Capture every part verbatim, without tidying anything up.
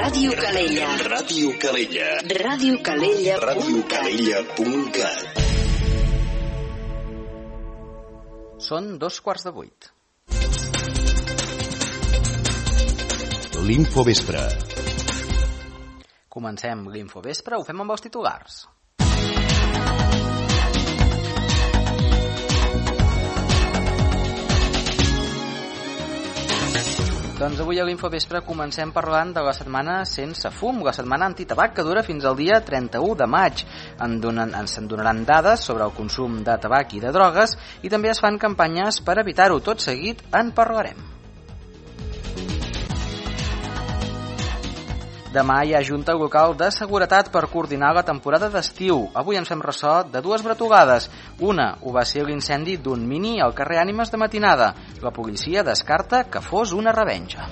Ràdio Calella. Ràdio Calella. Ràdio Calella. Ràdio Calella punt cat. Són dos quarts de vuit. L'Infovespre. Comencem l'Infovespre, ho fem amb els titulars. Doncs avui a l'Infovespre comencem parlant de la setmana sense fum, la setmana antitabac que dura fins al dia trenta-u de maig. En donen, ens en donaran dades sobre el consum de tabac i de drogues i també es fan campanyes per evitar-ho. Tot seguit en parlarem. Demà hi ha Junta Local de Seguretat per coordinar la temporada d'estiu. Avui ens fem ressò de dues bretugades. Una ho va ser l'incendi d'un mini al carrer Ànimes de matinada. La policia descarta que fos una revenja.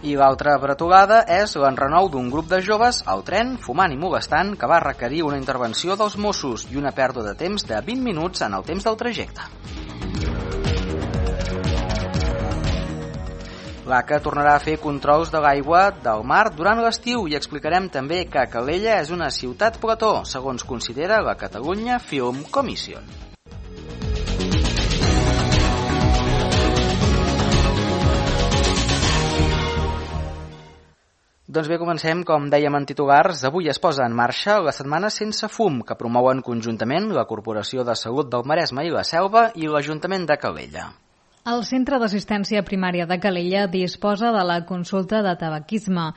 I l'altra bretugada és l'enrenou d'un grup de joves al tren fumant i molestant que va requerir una intervenció dels Mossos i una pèrdua de temps de vint minuts en el temps del trajecte. L'A C A tornarà a fer controls de l'aigua del mar durant l'estiu i explicarem també que Calella és una ciutat plató, segons considera la Catalunya Film Commission. Doncs bé, comencem, com dèiem en titulars. Avui es posa en marxa la Setmana Sense Fum, que promouen conjuntament la Corporació de Salut del Maresme i la Selva i l'Ajuntament de Calella. El Centre d'Assistència Primària de Calella disposa de la consulta de tabaquisme.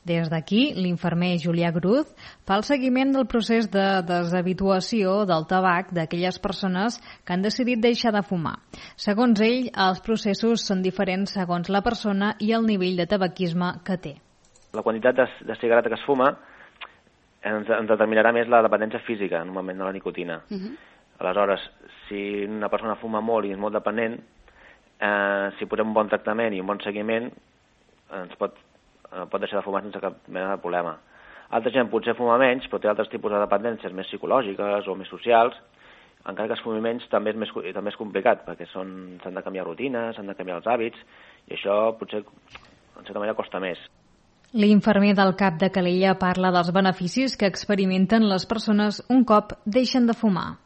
Des d'aquí, l'infermer Julià Cruz fa el seguiment del procés de deshabituació del tabac d'aquelles persones que han decidit deixar de fumar. Segons ell, els processos són diferents segons la persona i el nivell de tabaquisme que té. La quantitat de, de cigareta que es fuma ens, ens determinarà més la dependència física, normalment, de la nicotina. Uh-huh. Aleshores, si una persona fuma molt i és molt dependent, Eh, si posem un bon tractament i un bon seguiment ens pot, eh, pot deixar de fumar sense cap mena de problema. Altra gent potser fuma menys, però té altres tipus de dependències més psicològiques o més socials, encara que es fumi menys també és, més, també és complicat, perquè s'han de canviar rutines, s'han de canviar els hàbits, i això potser en certa manera costa més. L'infermer del C A P de Calella parla dels beneficis que experimenten les persones un cop deixen de fumar.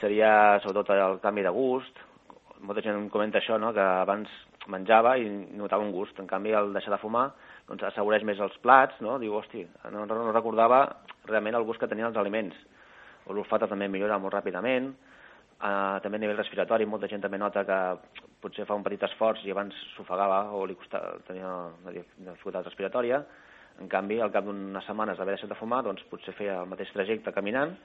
Seria sobretot el canvi de gust. Molta gent comenta això, no? Que abans menjava i notava un gust. En canvi, al deixar de fumar, doncs assaboreix més els plats, no? Diu, hosti, no, no recordava realment el gust que tenien els aliments. L'olfata també millora molt ràpidament. Uh, també a nivell respiratori, molta gent també nota que potser fa un petit esforç i abans s'ofegava o li costava, tenia una dificultat respiratòria. En canvi, al cap d'unes setmanes d'haver deixat de fumar, doncs potser feia el mateix trajecte caminant,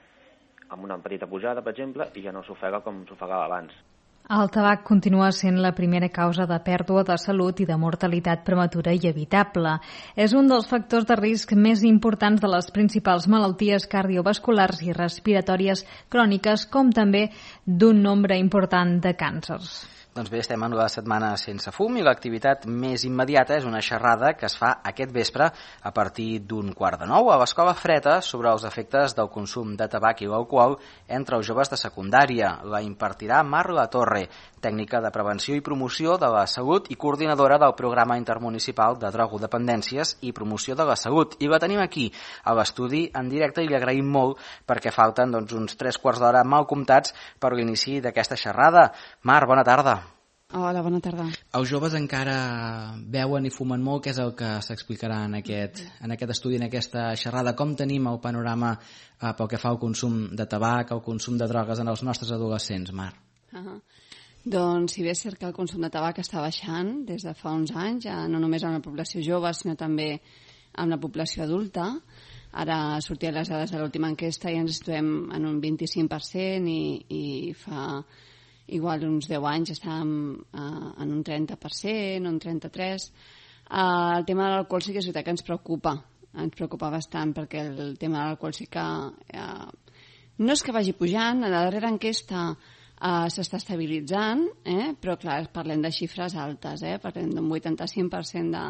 amb una petita pujada, per exemple, i ja no s'ofega com s'ofegava abans. El tabac continua sent la primera causa de pèrdua de salut i de mortalitat prematura i evitable. És un dels factors de risc més importants de les principals malalties cardiovasculars i respiratòries cròniques, com també d'un nombre important de càncers. Doncs bé, estem en la setmana sense fum i l'activitat més immediata és una xerrada que es fa aquest vespre a partir d'un quart de nou a l'Escola Freta sobre els efectes del consum de tabac i l'alcohol entre els joves de secundària. La impartirà Mar La Torre, tècnica de prevenció i promoció de la salut i coordinadora del Programa Intermunicipal de Drogodependències i Promoció de la Salut. I la tenim aquí, a l'estudi, en directe, i li agraïm molt perquè falten doncs, uns tres quarts d'hora mal comptats per l'inici d'aquesta xerrada. Mar, bona tarda. Hola, bona tarda. Els joves encara beuen i fumen molt, que és el que s'explicarà en aquest, en aquest estudi, en aquesta xerrada. Com tenim el panorama eh, pel que fa al consum de tabac, al consum de drogues en els nostres adolescents, Mar? Uh-huh. Doncs si bé és cert que el consum de tabac està baixant des de fa uns anys, ja no només amb la població jove, sinó també amb la població adulta. Ara sortien les dades de l'última enquesta i ens situem en un vint-i-cinc per cent i, i fa... igual uns deu anys estàvem uh, en un trenta per cent, un trenta-tres per cent. Uh, el tema de l'alcohol sí que és veritat que ens preocupa, ens preocupa bastant, perquè el tema de l'alcohol sí que uh, no és que vagi pujant, a la darrera enquesta uh, s'està estabilitzant, eh? Però clar, parlem de xifres altes, eh? Parlem d'un vuitanta-cinc per cent de,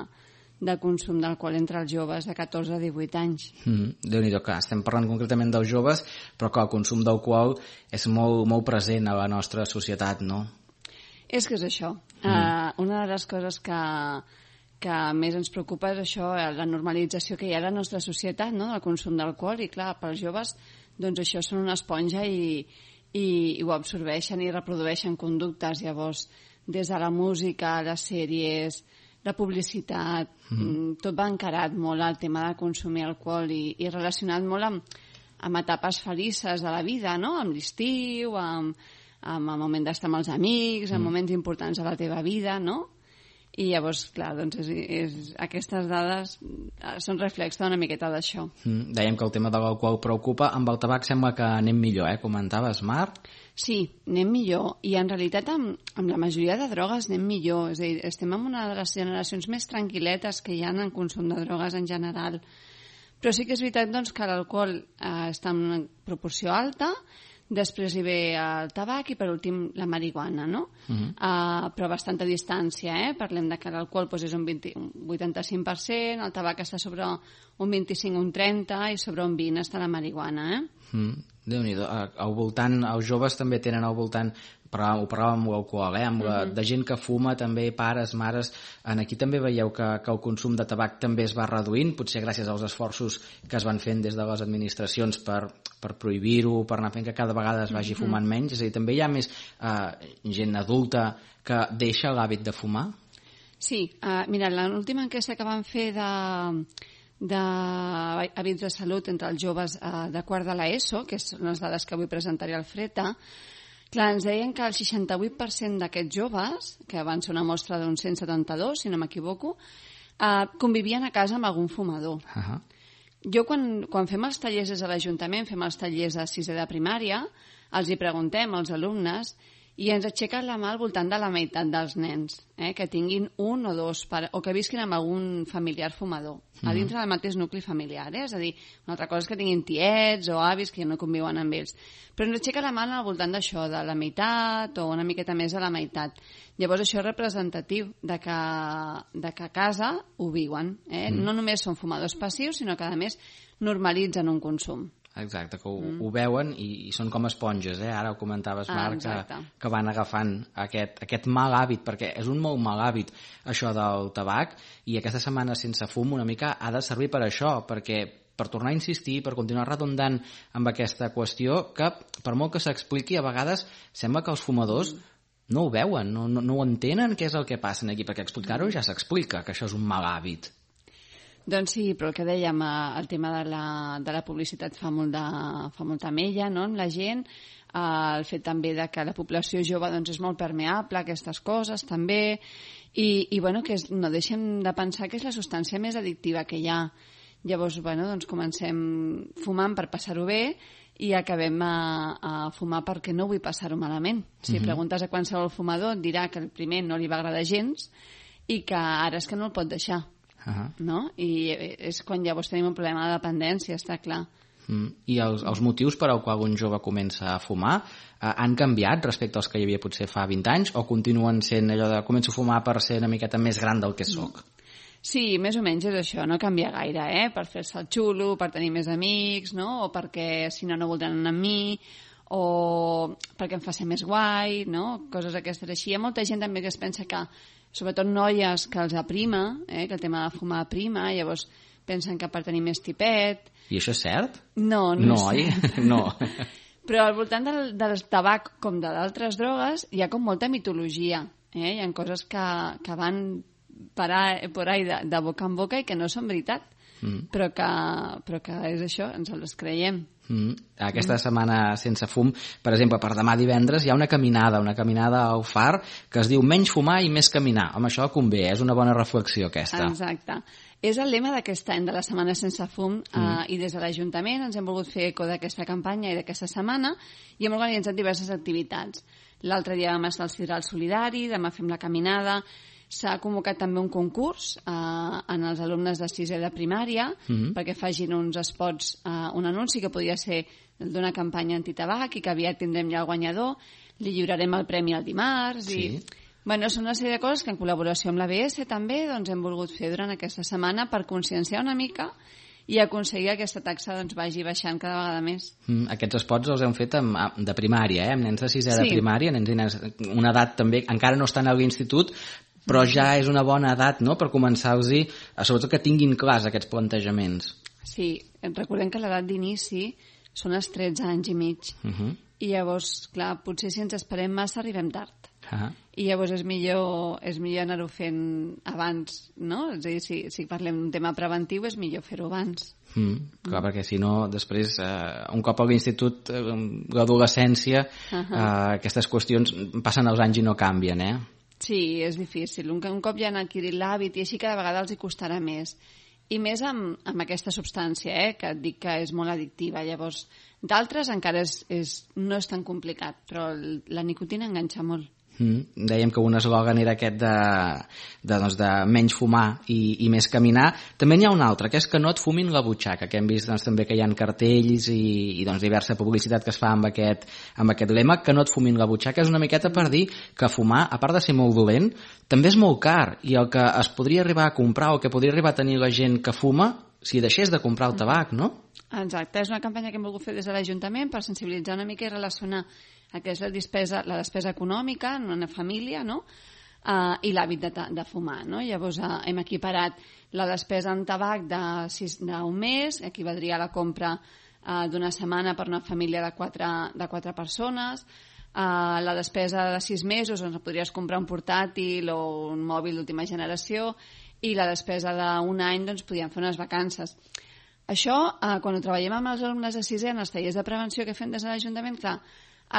de consum d'alcohol entre els joves de catorze a divuit anys. Mm-hmm. Déu-n'hi-do, clar, estem parlant concretament dels joves, però clar, el consum d'alcohol és molt, molt present a la nostra societat, no? És que és això. Mm. Uh, una de les coses que, que més ens preocupa és això, la normalització que hi ha a la nostra societat, no?, del consum d'alcohol, i clar, pels joves doncs això són una esponja i, i, i ho absorbeixen i reprodueixen conductes. Llavors, des de la música, les sèries, la publicitat, mm. tot va encarat molt al tema de consumir alcohol i, i relacionat molt amb, amb etapes felices de la vida, no?, amb l'estiu, amb, amb el moment d'estar amb els amics, amb mm. moments importants de la teva vida, no? I llavors, clar, doncs és, és, aquestes dades són reflex d'una miqueta d'això. Mm, dèiem que el tema de l'alcohol preocupa, amb el tabac sembla que anem millor, eh? Comentaves, Mar? Sí, anem millor, i en realitat amb, amb la majoria de drogues anem millor, és a dir, estem en una de les generacions més tranquil·letes que hi ha en consum de drogues en general. Però sí que és veritat doncs, que l'alcohol eh, està en una proporció alta, després hi ve el tabac i per últim la marihuana, no? Uh-huh. Uh, però a bastanta distància, eh? Parlem de que l'alcohol doncs, és un, vint, un vuitanta-cinc per cent, el tabac està sobre un vint-i-cinc, un trenta i sobre un vint està la marihuana, eh? Mm, Déu-n'hi-do. Al voltant, els joves també tenen al voltant, però ho parlàvem amb l'alcohol, eh? amb la, uh-huh. de gent que fuma també, pares, mares. En aquí també veieu que, que el consum de tabac també es va reduint, potser gràcies als esforços que es van fent des de les administracions per, per prohibir-ho, per anar fent que cada vegada es vagi fumant uh-huh. menys. És a dir, també hi ha més eh, gent adulta que deixa l'hàbit de fumar? Sí, uh, mira, l'última enquesta que van fer de d'hàbits de salut entre els joves eh, de quart de l'ESO, que són les dades que avui presentaré al Freta, clar, ens deien que el seixanta-vuit per cent d'aquests joves, que van ser una mostra d'uns cent setanta-dos, si no m'equivoco, eh, convivien a casa amb algun fumador. Uh-huh. Jo, quan, quan fem els tallers des de l'Ajuntament, fem els tallers de sisè de primària, els hi preguntem als alumnes i ens aixequen la mà al voltant de la meitat dels nens, eh, que tinguin un o dos, pare, o que visquin amb algun familiar fumador, mm-hmm. a dintre del mateix nucli familiar. Eh? És a dir, una altra cosa és que tinguin tiets o avis que no conviuen amb ells. Però ens aixequen la mà al voltant d'això, de la meitat o una miqueta més de la meitat. Llavors això és representatiu de que, de que a casa ho viuen. Eh? Mm. No només són fumadors passius, sinó que a més normalitzen un consum. Exacte, que ho, mm. ho veuen i, i són com esponges, eh? Ara ho comentaves, Marc, ah, que, que van agafant aquest, aquest mal hàbit, perquè és un molt mal hàbit això del tabac, i aquesta setmana sense fum una mica ha de servir per això, perquè per tornar a insistir, per continuar redundant amb aquesta qüestió, que per molt que s'expliqui, a vegades sembla que els fumadors mm. no ho veuen, no, no, no ho entenen què és el que passa aquí, perquè explicar-ho ja s'explica, que això és un mal hàbit. Doncs sí, però el que dèiem, el tema de la, de la publicitat fa, molt de, fa molta mella, no?, amb la gent, el fet també de que la població jove doncs, és molt permeable a aquestes coses també, i, i bueno, que és, no deixem de pensar que és la substància més addictiva que hi ha. Llavors, bueno, doncs comencem fumant per passar-ho bé i acabem a, a fumar perquè no vull passar-ho malament. Si uh-huh. preguntes a qualsevol fumador et dirà que el primer no li va agradar gens i que ara és que no el pot deixar. Uh-huh. No? I és quan llavors tenim un problema de dependència, està clar. Mm. I els, els motius per al qual un jove comença a fumar eh, han canviat respecte als que hi havia potser fa vint anys, o continuen sent allò de començo a fumar per ser una miqueta més gran del que soc? Sí, més o menys és això, no canvia gaire, eh? Per fer-se el xulo, per tenir més amics, no? O perquè si no no voldran anar amb mi, o perquè em fa ser més guai, no? Coses aquestes així. Hi ha molta gent també que es pensa que, sobretot noies, que els aprima, eh? Que el tema de fumar aprima, llavors pensen que per tenir més tipet... I això és cert? No, no, no és cert. No. Però al voltant del, del tabac, com de d'altres drogues, hi ha com molta mitologia. Eh? Hi ha coses que, que van parar por ahí de, de boca en boca i que no són veritat. Mm. Però, que, però que és això, ens les creiem. Mm. Aquesta mm. setmana sense fum, per exemple, per demà divendres hi ha una caminada, una caminada al Far que es diu menys fumar i més caminar. Home, això convé, és una bona reflexió aquesta. Exacte. És el lema d'aquest any, de la Setmana Sense Fum, mm. eh, i des de l'Ajuntament ens hem volgut fer eco d'aquesta campanya i d'aquesta setmana i hem organitzat diverses activitats. L'altre dia vam estar al Sidral Solidari, demà fem la caminada, s'ha convocat també un concurs eh, en els alumnes de sisè de primària mm-hmm. perquè facin uns spots, eh, un anunci que podia ser d'una campanya antitabac i que aviat tindrem ja el guanyador, li lliurarem el premi el dimarts sí. i... Bueno, són una sèrie de coses que en col·laboració amb l'A B S també doncs, hem volgut fer durant aquesta setmana per conscienciar una mica i aconseguir que aquesta taxa doncs, vagi baixant cada vegada més. Mm, aquests spots els hem fet amb, de primària, eh? Amb nens de sisè sí. de primària, nens i nens, una edat també, encara no estan a l'institut, però ja és una bona edat, no?, per començar-los, sobretot que tinguin clars aquests plantejaments. Sí, recordem que l'edat d'inici són els tretze anys i mig. Uh -huh. I llavors, clar, potser si ens esperem massa arribem tard. Uh -huh. I llavors és millor, és millor anar-ho fent abans, no? És a dir, si, si parlem d'un tema preventiu és millor fer-ho abans. Mm, clar, mm. perquè si no, després, eh, un cop a l'institut, eh, l'adolescència, uh -huh. eh, aquestes qüestions passen els anys i no canvien, eh? Sí, és difícil. Un, un cop ja han adquirit l'hàbit i així cada vegada els hi costarà més. I més amb, amb aquesta substància, eh, que et dic que és molt addictiva. Llavors, d'altres encara és, és, no és tan complicat, però la nicotina enganxa molt. Mm. Dèiem que un eslògan era aquest de, de, doncs, de menys fumar i, i més caminar. També n'hi ha un altre, que és que no et fumin la butxaca, que hem vist doncs, també que hi ha cartells i, i doncs, diversa publicitat que es fa amb aquest, amb aquest lema, que no et fumin la butxaca. És una miqueta per dir que fumar, a part de ser molt dolent, també és molt car, i el que es podria arribar a comprar o que podria arribar a tenir la gent que fuma si deixés de comprar el tabac, no? Exacte, és una campanya que hem volgut fer des de l'Ajuntament per sensibilitzar una mica i relacionar el que és la despesa, la despesa econòmica en una família, no?, uh, i l'hàbit de, de fumar, no? Llavors uh, hem equiparat la despesa en tabac d'un mes, equivaldria a la compra uh, d'una setmana per una família de quatre, de quatre persones, uh, la despesa de sis mesos, on podries comprar un portàtil o un mòbil d'última generació, i la despesa d'un any, doncs, podríem fer unes vacances. Això, eh, quan ho treballem amb els alumnes de sisè en els tallers de prevenció que fem des de l'Ajuntament, clar,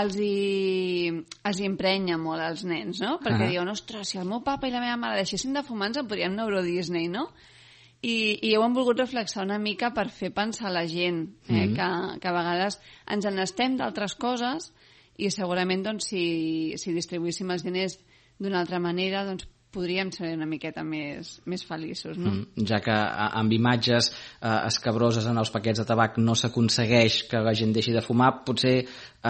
els hi, els hi emprenya molt als nens, no? Perquè uh -huh. diuen, ostres, si el meu papa i la meva mare deixessin de fumar ens en podríem anar a Euro Disney, no? I, i ho hem volgut reflexar una mica per fer pensar la gent, eh? uh -huh. que, que a vegades ens n'estem d'altres coses i segurament, doncs, si, si distribuíssim els diners d'una altra manera, doncs, podríem ser una miqueta més, més feliços, no? Mm, ja que amb imatges eh, escabroses en els paquets de tabac no s'aconsegueix que la gent deixi de fumar, potser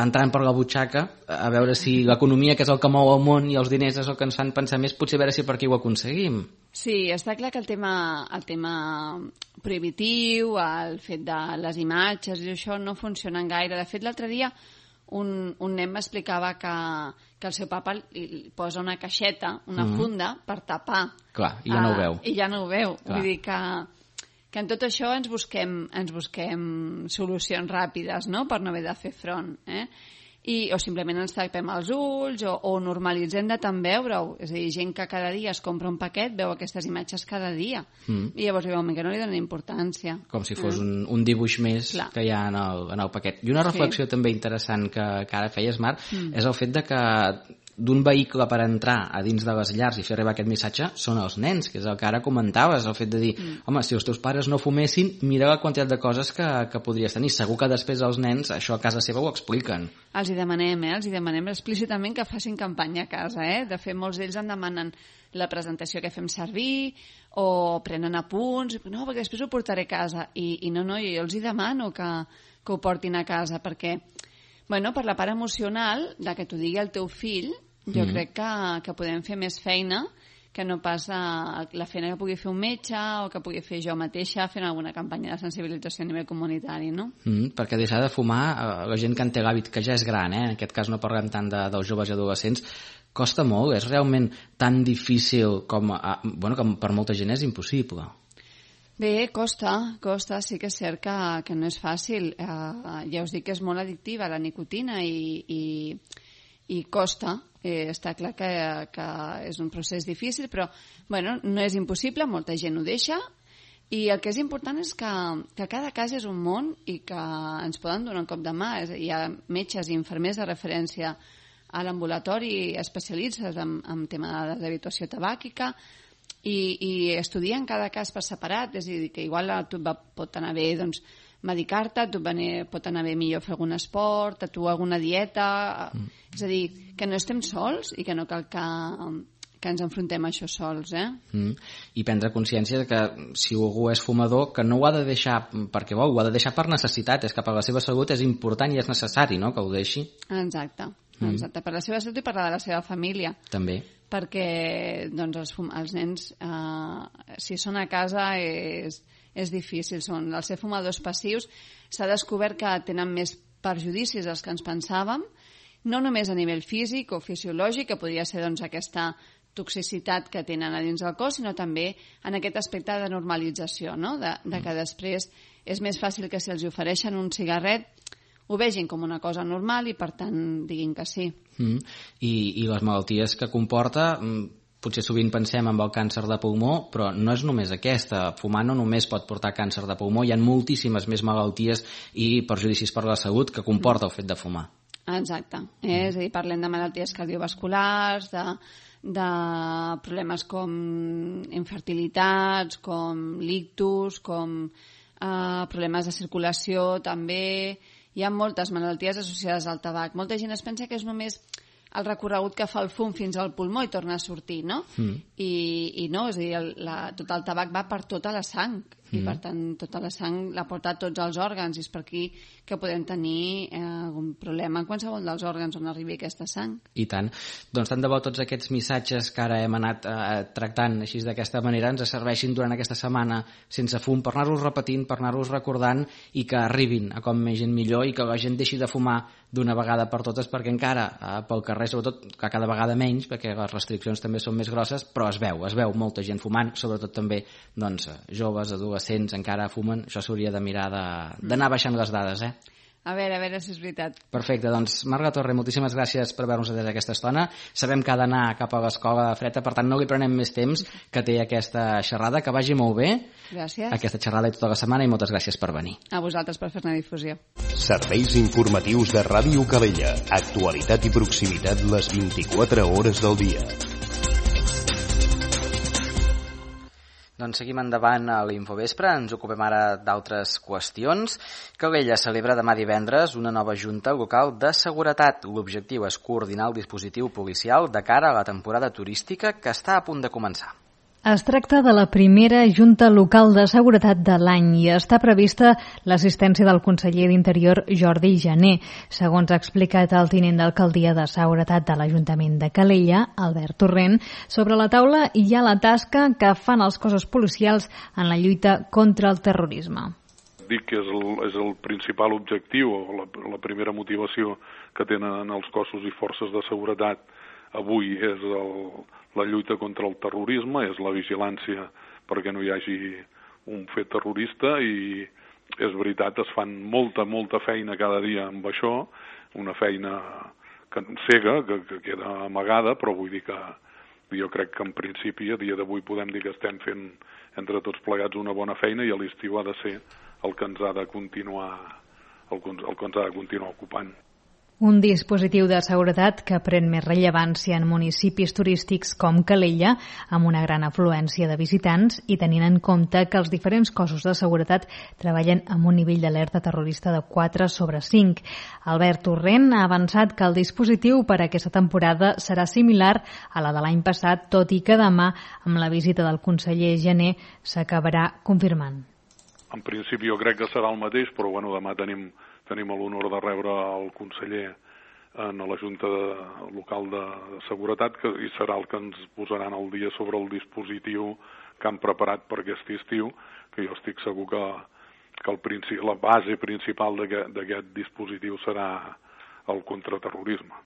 entrant per la butxaca, a veure si l'economia, que és el que mou el món, i els diners és el que ens fan pensar més, potser a veure si per aquí ho aconseguim. Sí, està clar que el tema, el tema prohibitiu, el fet de les imatges i això no funcionen gaire. De fet, l'altre dia un, un nen m'explicava que, que el seu papa li posa una caixeta, una mm-hmm. funda, per tapar. Clar, i ja no ho veu. Uh, I ja no ho veu. Clar. Vull dir que, que en tot això ens busquem, ens busquem solucions ràpides, no?, per no haver de fer front, eh? I, o simplement ens tapem els ulls o, o normalitzem de tant veure-ho. És a dir, gent que cada dia es compra un paquet veu aquestes imatges cada dia. Mm. I llavors veuen que no li donen importància. Com si fos mm. un, un dibuix més Clar. que hi ha en el, en el paquet. I una reflexió sí. també interessant que, que ara feies, Marc, mm. és el fet de que d'un vehicle per entrar a dins de les llars i fer arribar aquest missatge són els nens, que és el que ara comentaves, el fet de dir, mm. home, si els teus pares no fumessin, mira la quantitat de coses que, que podries tenir. Segur que després els nens això a casa seva ho expliquen. Els hi demanem, eh? Els hi demanem explícitament que facin campanya a casa, eh? De fet, molts d'ells en demanen la presentació que fem servir o prenen apunts, no, perquè després ho portaré a casa. I, i no, no, jo els hi demano que, que ho portin a casa, perquè bueno, per la part emocional, de que t'ho digui el teu fill, jo mm. crec que, que podem fer més feina que no pas la, la feina que pugui fer un metge o que pugui fer jo mateixa fent alguna campanya de sensibilització a nivell comunitari, no? Mm, perquè deixar de fumar, la gent que en té l'hàbit, que ja és gran, eh? En aquest cas no parlem tant de, dels joves i adolescents, costa molt, és realment tan difícil com, a, bueno, com per molta gent és impossible. Bé, costa, costa, sí que és cert que, que no és fàcil. Uh, ja us dic que és molt addictiva la nicotina i, i, i costa. Eh, està clar que, que és un procés difícil, però bueno, no és impossible, molta gent ho deixa, i el que és important és que, que cada cas és un món i que ens poden donar un cop de mà. Hi ha metges i infermers de referència a l'ambulatori especialistes en, en tema de deshabituació tabàquica, i, i estudien cada cas per separat, és a dir, que igual a tu va, pot anar bé doncs, medicar-te, a tu pot anar bé millor fer algun esport, a tu alguna dieta, mm. és a dir, que no estem sols i que no cal que, que ens enfrontem a això sols, eh? Mm. I prendre consciència que si algú és fumador, que no ho ha de deixar perquè vol, ho ha de deixar per necessitat, és que per la seva salut és important i és necessari, no?, que ho deixi. Exacte, exacte, mm. per la seva salut i per la de la seva família. També. Perquè doncs, els, fum els nens, eh, si són a casa, és, és difícil. Són, al ser fumadors passius, s'ha descobert que tenen més perjudicis dels que ens pensàvem, no només a nivell físic o fisiològic, que podria ser doncs, aquesta toxicitat que tenen a dins del cos, sinó també en aquest aspecte de normalització, no? de, de que després és més fàcil que si els ofereixen un cigarret ho vegin com una cosa normal i per tant diguin que sí. Mm. I, i les malalties que comporta, potser sovint pensem en el càncer de pulmó, però no és només aquesta. Fumar no només pot portar càncer de pulmó, hi ha moltíssimes més malalties i perjudicis per la salut que comporta el fet de fumar. Exacte, eh? És a dir, parlem de malalties cardiovasculars, de, de problemes com infertilitats, com l'ictus, com eh, problemes de circulació també. Hi ha moltes malalties associades al tabac. Molta gent es pensa que és només el recorregut que fa el fum fins al pulmó i torna a sortir, no? Mm. I, i no, és a dir, el, la, tot el tabac va per tota la sang i mm. per tant tota la sang la porta a tots els òrgans i és per aquí que podem tenir eh, algun problema en qualsevol dels òrgans on arribi aquesta sang. I tant. Doncs tant de bo tots aquests missatges que ara hem anat eh, tractant així d'aquesta manera ens serveixin durant aquesta setmana sense fum per anar-los repetint, per anar-los recordant i que arribin a com més gent millor i que la gent deixi de fumar d'una vegada per totes perquè encara eh, pel carrer, sobretot que cada vegada menys, perquè les restriccions també són més grosses, però es veu, es veu molta gent fumant, sobretot també doncs, joves, adolescents encara fumen, això s'hauria de mirar d'anar baixant les dades, eh? A veure, a veure si és veritat. Perfecte, doncs Marga Torre, moltíssimes gràcies per haver-nos atès aquesta estona. Sabem que ha d'anar cap a l'escola freda, per tant no li prenem més temps que té aquesta xerrada, que vagi molt bé. Gràcies. Aquesta xerrada i tota la setmana i moltes gràcies per venir. A vosaltres per fer-ne difusió. Serveis informatius de Ràdio Calella. Actualitat i proximitat les vint-i-quatre hores del dia. Doncs seguim endavant a l'Infovespre, ens ocupem ara d'altres qüestions. Calella celebra demà divendres una nova junta local de seguretat. L'objectiu és coordinar el dispositiu policial de cara a la temporada turística que està a punt de començar. Es tracta de la primera Junta Local de Seguretat de l'any i està prevista l'assistència del conseller d'Interior Jordi Jané. Segons ha explicat el tinent d'alcaldia de Seguretat de l'Ajuntament de Calella, Albert Torrent, sobre la taula hi ha la tasca que fan els cossos policials en la lluita contra el terrorisme. Dic que és el, és el principal objectiu o la, la primera motivació que tenen els cossos i forces de seguretat avui és el, la lluita contra el terrorisme, és la vigilància perquè no hi hagi un fet terrorista i és veritat, es fan molta, molta feina cada dia amb això, una feina que, cega, que, que queda amagada, però vull dir que jo crec que en principi a dia d'avui podem dir que estem fent entre tots plegats una bona feina i a l'estiu ha de ser el que ens ha de continuar, el, el que ens ha de continuar ocupant. Un dispositiu de seguretat que pren més rellevància en municipis turístics com Calella, amb una gran afluència de visitants i tenint en compte que els diferents cossos de seguretat treballen amb un nivell d'alerta terrorista de quatre sobre cinc. Albert Torrent ha avançat que el dispositiu per a aquesta temporada serà similar a la de l'any passat, tot i que demà, amb la visita del conseller Jané, s'acabarà confirmant. En principi jo crec que serà el mateix, però bueno, demà tenim Tenim l'honor de rebre el conseller en la Junta de, Local de Seguretat que, i serà el que ens posaran al dia sobre el dispositiu que han preparat per aquest estiu, que jo estic segur que, que el principi, la base principal d'aquest dispositiu serà el contraterrorisme.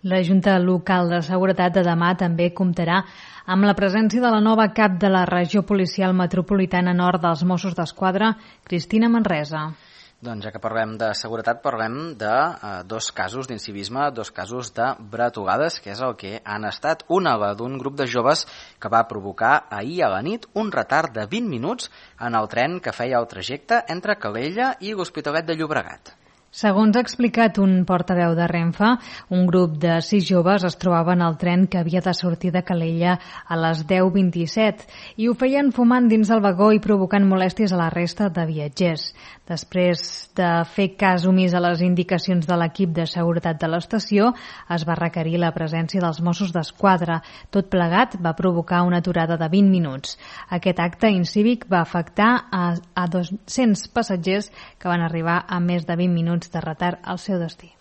La Junta Local de Seguretat de demà també comptarà amb la presència de la nova cap de la Regió Policial Metropolitana Nord dels Mossos d'Esquadra, Cristina Manresa. Doncs ja que parlem de seguretat, parlem de eh, dos casos d'incivisme, dos casos de bretugades, que és el que han estat. Una, la d'un grup de joves que va provocar ahir a la nit un retard de vint minuts en el tren que feia el trajecte entre Calella i l'Hospitalet de Llobregat. Segons ha explicat un portaveu de Renfe, un grup de sis joves es trobaven al tren que havia de sortir de Calella a les deu vint-i-set i ho feien fumant dins del vagó i provocant molèsties a la resta de viatgers. Després de fer cas omís a les indicacions de l'equip de seguretat de l'estació, es va requerir la presència dels Mossos d'Esquadra. Tot plegat va provocar una aturada de vint minuts. Aquest acte incívic va afectar a, a dos-cents passatgers que van arribar a més de vint minuts de retard al seu destí.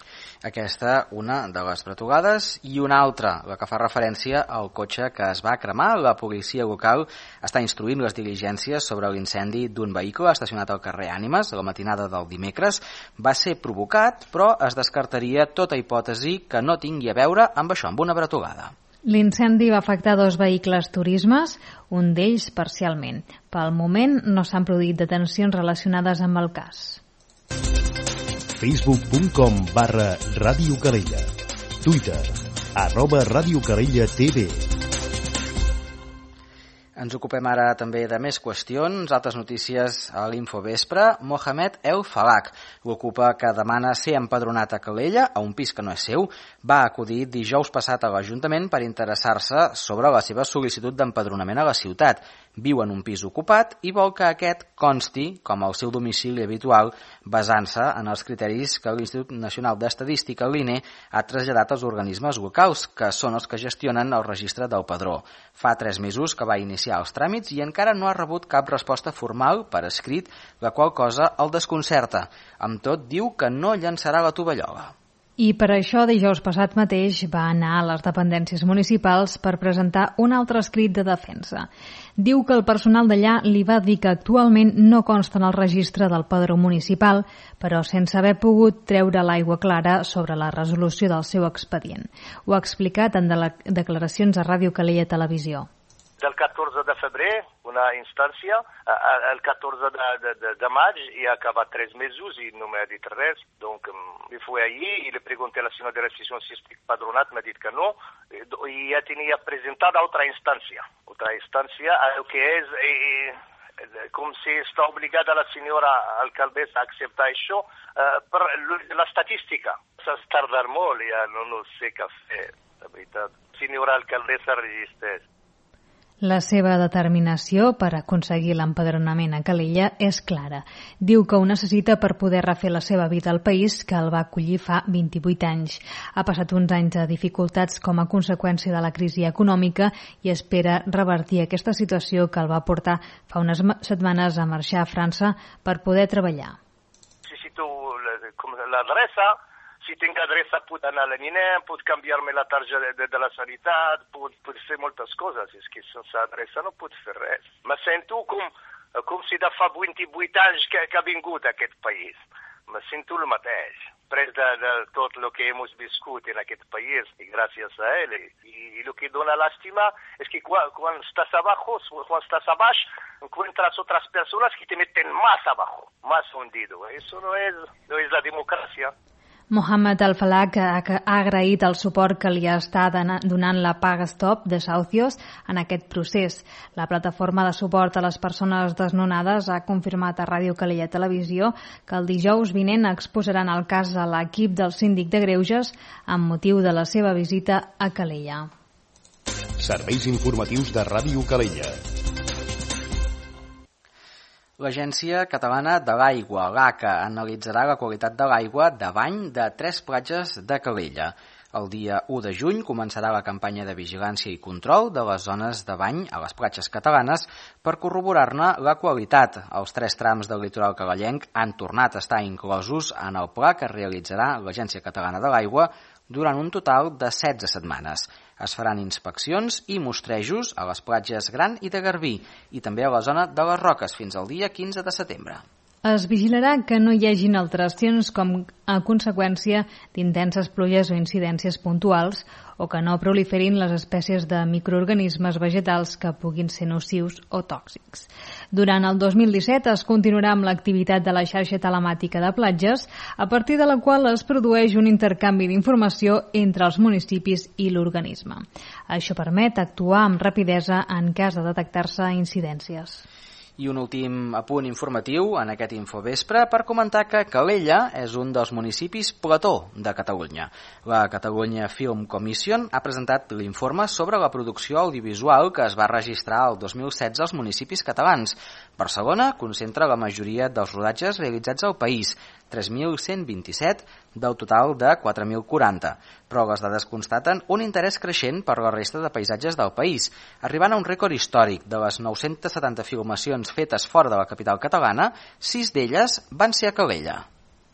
Aquesta, una de les bretugades, i una altra, la que fa referència al cotxe que es va cremar. La policia local està instruint les diligències sobre l'incendi d'un vehicle estacionat al carrer Ànimes a la matinada del dimecres. Va ser provocat, però es descartaria tota hipòtesi que no tingui a veure amb això, amb una bretugada. L'incendi va afectar dos vehicles turismes, un d'ells parcialment. Pel moment no s'han produït detencions relacionades amb el cas. facebook punt com barra Ràdio Calella. Twitter, arroba Ràdio Calella T V. Ens ocupem ara també de més qüestions. Altres notícies a l'Infovespre. Mohamed El Falak, l'ocupa que demana ser empadronat a Calella, a un pis que no és seu, va acudir dijous passat a l'Ajuntament per interessar-se sobre la seva sol·licitud d'empadronament a la ciutat. Viu en un pis ocupat i vol que aquest consti com el seu domicili habitual, basant-se en els criteris que l'Institut Nacional d'Estadística, l'I N E, ha traslladat als organismes locals, que són els que gestionen el registre del padró. Fa tres mesos que va iniciar els tràmits i encara no ha rebut cap resposta formal per escrit, la qual cosa el desconcerta. Amb tot, diu que no llançarà la tovallola. I per això dijous passat mateix va anar a les dependències municipals per presentar un altre escrit de defensa. Diu que el personal d'allà li va dir que actualment no consta en el registre del padró municipal, però sense haver pogut treure l'aigua clara sobre la resolució del seu expedient. Ho ha explicat en de declaracions a Ràdio Calella Televisió. Del catorze de febrer, una instància, el catorze de, de, de, de maig, i ha acabat tres mesos i no m'ha dit res. Donc, me fui allí i le pregunté a la senyora de recepció si estic padronat, m'ha dit que no, i ja tenia presentat altra instància. Altra instància, el que és, eh, com si està obligada la senyora alcaldessa a acceptar això, eh, per l'estadística. S'ha tardat molt, ja no, no sé què fer, la veritat. Senyora alcaldessa resisteix. La seva determinació per aconseguir l'empadronament a Calella és clara. Diu que ho necessita per poder refer la seva vida al país, que el va acollir fa vint-i-vuit anys. Ha passat uns anys de dificultats com a conseqüència de la crisi econòmica i espera revertir aquesta situació que el va portar fa unes setmanes a marxar a França per poder treballar. Necessito l'adreça. Si tinc adreça, puc anar a l'I N E, puc canviar-me la targeta de, de, de la sanitat, puc, puc fer moltes coses. És que sense adreça no puc fer res. Me sento com, com si de fa vint-i-vuit anys que, que ha vingut a aquest país. Me sento el mateix. Pres de, de tot el que hem viscut en aquest país, i gràcies a ell. I, i el que dona lástima és que quan, quan estàs abajo, quan estàs abaix, encuentras otras personas que te meten más abajo, más hundido. Eso no es, no es la democràcia. Mohamed El Falak ha agraït el suport que li està donant la Paga Stop de Saucios en aquest procés. La plataforma de suport a les persones desnonades ha confirmat a Ràdio Calella Televisió que el dijous vinent exposaran el cas a l'equip del síndic de Greuges amb motiu de la seva visita a Calella. Serveis informatius de Ràdio Calella. L'Agència Catalana de l'Aigua, l'A C A, analitzarà la qualitat de l'aigua de bany de tres platges de Calella. El dia u de juny començarà la campanya de vigilància i control de les zones de bany a les platges catalanes per corroborar-ne la qualitat. Els tres trams del litoral calellenc han tornat a estar inclosos en el pla que realitzarà l'Agència Catalana de l'Aigua durant un total de setze setmanes. Es faran inspeccions i mostrejos a les platges Gran i de Garbí i també a la zona de les Roques fins al dia quinze de setembre. Es vigilarà que no hi hagin alteracions com a conseqüència d'intenses pluges o incidències puntuals o que no proliferin les espècies de microorganismes vegetals que puguin ser nocius o tòxics. Durant el dos mil disset es continuarà amb l'activitat de la xarxa telemàtica de platges, a partir de la qual es produeix un intercanvi d'informació entre els municipis i l'organisme. Això permet actuar amb rapidesa en cas de detectar-se incidències. I un últim apunt informatiu en aquest Infovespre per comentar que Calella és un dels municipis plató de Catalunya. La Catalunya Film Commission ha presentat l'informe sobre la producció audiovisual que es va registrar el dos mil setze als municipis catalans. Barcelona concentra la majoria dels rodatges realitzats al país, tres mil cent vint-i-set del total de quatre mil quaranta, però les dades constaten un interès creixent per la resta de paisatges del país, arribant a un rècord històric. De les nou-centes setanta filmacions fetes fora de la capital catalana, sis d'elles van ser a Calella.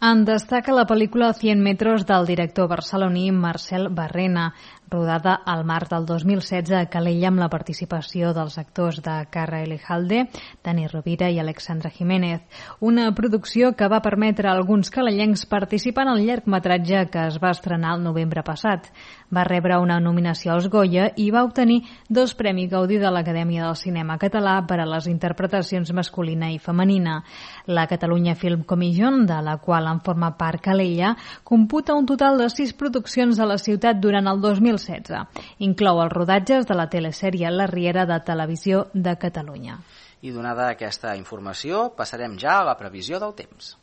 En destaca la pel·lícula cent metros del director barceloní Marcel Barrena. rodada al març del dos mil setze a Calella amb la participació dels actors de Carra Elejalde, Dani Rovira i Alexandra Jiménez. Una producció que va permetre a alguns calellencs participar en el llargmetratge que es va estrenar el novembre passat. Va rebre una nominació als Goya i va obtenir dos Premis Gaudí de l'Acadèmia del Cinema Català per a les interpretacions masculina i femenina. La Catalunya Film Commission, de la qual en forma part Calella, computa un total de sis produccions a la ciutat durant el dos mil setze. Inclou els rodatges de la telesèrie La Riera de Televisió de Catalunya. I donada aquesta informació, passarem ja a la previsió del temps.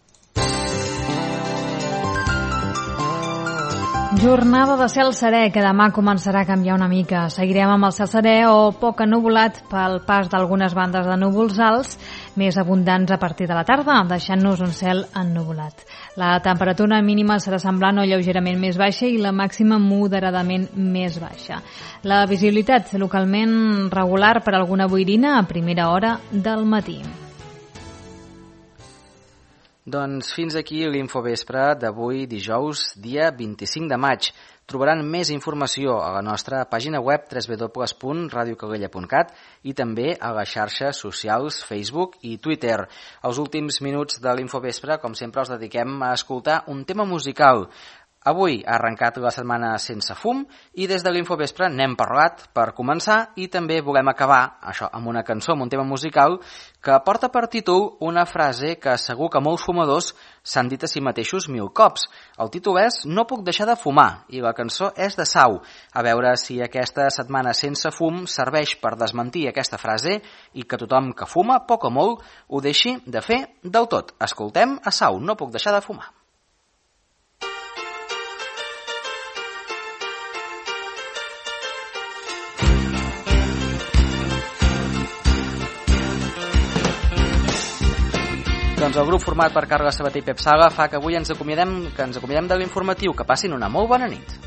Jornada de cel serè, que demà començarà a canviar una mica. Seguirem amb el cel serè o poc ennuvolat pel pas d'algunes bandes de núvols alts, més abundants a partir de la tarda, deixant-nos un cel ennuvolat. La temperatura mínima serà semblant o lleugerament més baixa i la màxima moderadament més baixa. La visibilitat localment regular per alguna boirina a primera hora del matí. Doncs fins aquí l'Infovespre d'avui, dijous, dia vint-i-cinc de maig. Trobaran més informació a la nostra pàgina web w w w punt radio calella punt cat i també a les xarxes socials Facebook i Twitter. Els últims minuts de l'Infovespre, com sempre, els dediquem a escoltar un tema musical. Avui ha arrencat la setmana sense fum i des de l'Infovespre n'hem parlat per començar i també volem acabar això amb una cançó, amb un tema musical que porta per títol una frase que segur que molts fumadors s'han dit a si mateixos mil cops. El títol és No puc deixar de fumar i la cançó és de Sau. A veure si aquesta setmana sense fum serveix per desmentir aquesta frase i que tothom que fuma, poc o molt, ho deixi de fer del tot. Escoltem a Sau, No puc deixar de fumar. Doncs el grup format per Carles Sabater i Pep Sala fa que avui ens acomiadem, que ens acomiadem de l'informatiu. Que passin una molt bona nit.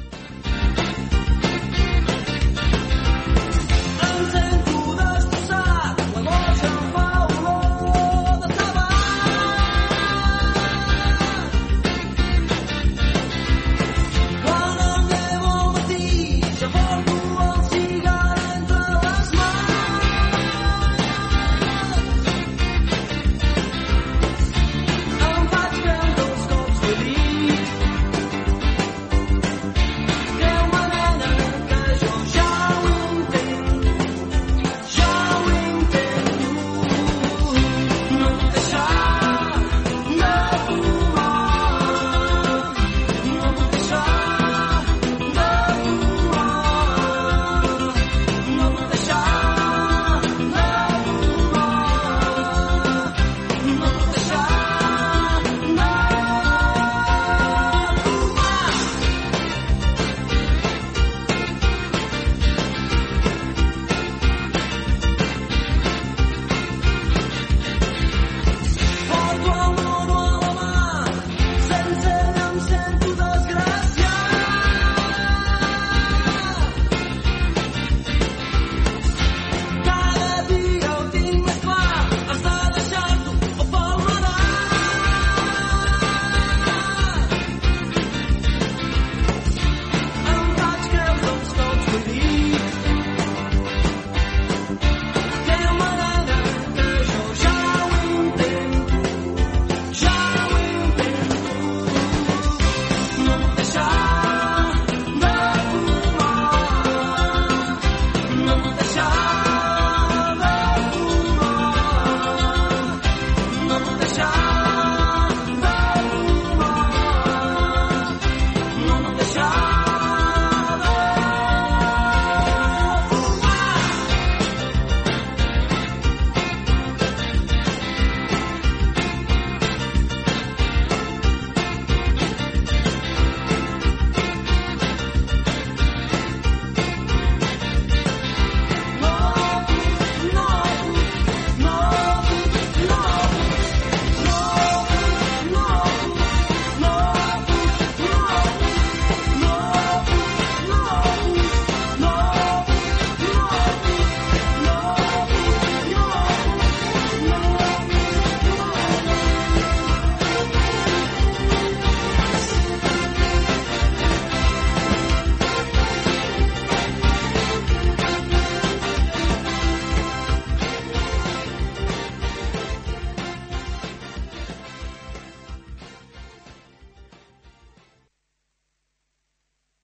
Em vaig creure els cops que dic